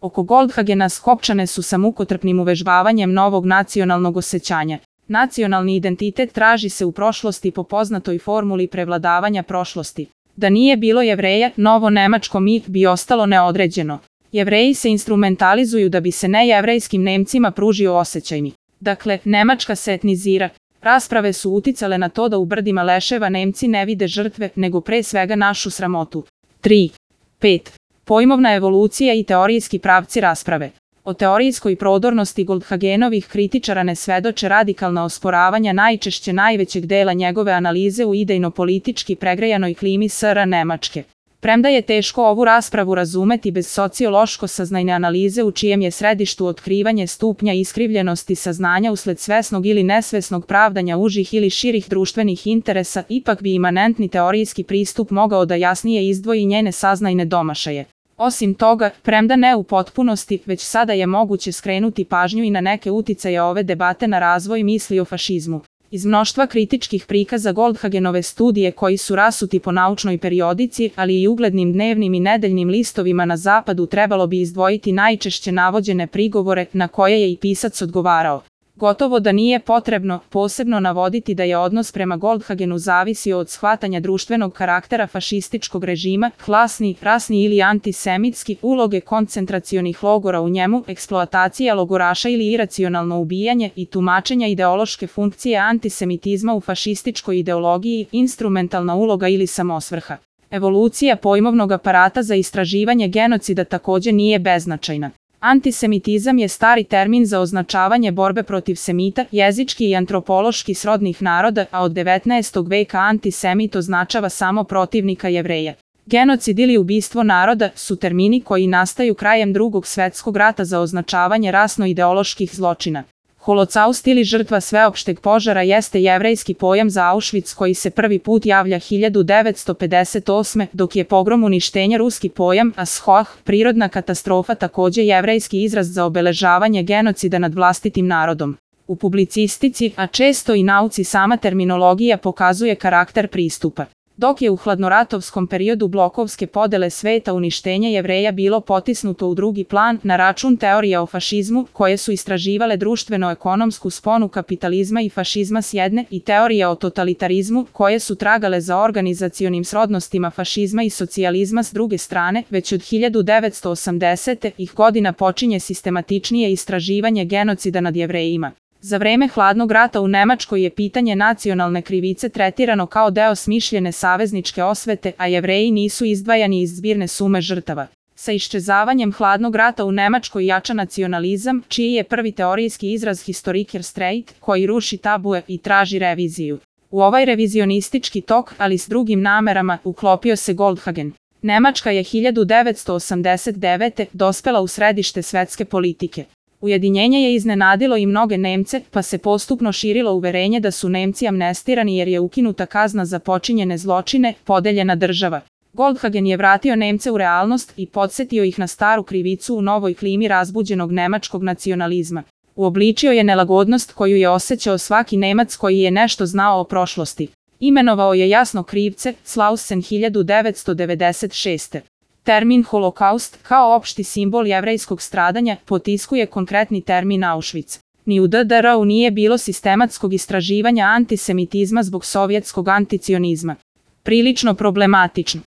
Oko Goldhagena skopčane su sa mukotrpnim uvežbavanjem novog nacionalnog osjećanja. Nacionalni identitet traži se u prošlosti po poznatoj formuli prevladavanja prošlosti. Da nije bilo Jevreja, novo nemačko mi bi ostalo neodređeno. Jevreji se instrumentalizuju da bi se nejevrejskim Nemcima pružio osjećaj mi. Dakle, Nemačka se etnizira. Rasprave su uticale na to da u brdima leševa Nemci ne vide žrtve, nego pre svega našu sramotu. 3. 5. Pojmovna evolucija i teorijski pravci rasprave. O teorijskoj prodornosti Goldhagenovih kritičara ne svedoče radikalna osporavanja najčešće najvećeg dela njegove analize u idejno-politički pregrejanoj klimi SR Nemačke. Premda je teško ovu raspravu razumeti bez sociološko-saznajne analize u čijem je središtu otkrivanje stupnja iskrivljenosti saznanja usled svesnog ili nesvesnog pravdanja užih ili širih društvenih interesa, ipak bi imanentni teorijski pristup mogao da jasnije izdvoji njene saznajne domašaje. Osim toga, premda ne u potpunosti, već sada je moguće skrenuti pažnju i na neke uticaje ove debate na razvoj misli o fašizmu. Iz mnoštva kritičkih prikaza Goldhagenove studije koji su rasuti po naučnoj periodici, ali i uglednim dnevnim i nedeljnim listovima na zapadu, trebalo bi izdvojiti najčešće navođene prigovore na koje je i pisac odgovarao. Gotovo da nije potrebno posebno navoditi da je odnos prema Goldhagenu zavisio od shvatanja društvenog karaktera fašističkog režima, klasni, rasni ili antisemitski, uloge koncentracionih logora u njemu, eksploatacija logoraša ili iracionalno ubijanje i tumačenja ideološke funkcije antisemitizma u fašističkoj ideologiji, instrumentalna uloga ili samosvrha. Evolucija pojmovnog aparata za istraživanje genocida također nije beznačajna. Antisemitizam je stari termin za označavanje borbe protiv semita, jezički i antropološki srodnih naroda, a od 19. veka antisemit označava samo protivnika Jevreja. Genocid ili ubistvo naroda su termini koji nastaju krajem Drugog svjetskog rata za označavanje rasno-ideoloških zločina. Holocaust ili žrtva sveopšteg požara jeste jevrejski pojam za Auschwitz koji se prvi put javlja 1958. dok je pogrom uništenja ruski pojam, a shoah, prirodna katastrofa, također jevrejski izraz za obeležavanje genocida nad vlastitim narodom. U publicistici, a često i nauci, sama terminologija pokazuje karakter pristupa. Dok je u hladnoratovskom periodu blokovske podele sveta uništenje Jevreja bilo potisnuto u drugi plan na račun teorija o fašizmu, koje su istraživale društveno-ekonomsku sponu kapitalizma i fašizma s jedne, i teorija o totalitarizmu, koje su tragale za organizacionim srodnostima fašizma i socijalizma s druge strane, već od 1980. godina počinje sistematičnije istraživanje genocida nad Jevrejima. Za vreme hladnog rata u Nemačkoj je pitanje nacionalne krivice tretirano kao deo smišljene savezničke osvete, a Jevreji nisu izdvajani iz zbirne sume žrtava. Sa iščezavanjem hladnog rata u Nemačkoj jača nacionalizam, čiji je prvi teorijski izraz Historiker Streit, koji ruši tabue i traži reviziju. U ovaj revizionistički tok, ali s drugim namerama, uklopio se Goldhagen. Nemačka je 1989. dospela u središte svetske politike. Ujedinjenje je iznenadilo i mnoge Nemce, pa se postupno širilo uverenje da su Nemci amnestirani jer je ukinuta kazna za počinjene zločine, podeljena država. Goldhagen je vratio Nemce u realnost i podsjetio ih na staru krivicu u novoj klimi razbuđenog nemačkog nacionalizma. Uobličio je nelagodnost koju je osjećao svaki Nemac koji je nešto znao o prošlosti. Imenovao je jasno krivce, Slausen 1996. Termin holokaust, kao opšti simbol jevrejskog stradanja, potiskuje konkretni termin Auschwitz. Ni u DDR-u nije bilo sistematskog istraživanja antisemitizma zbog sovjetskog anticionizma. Prilično problematično.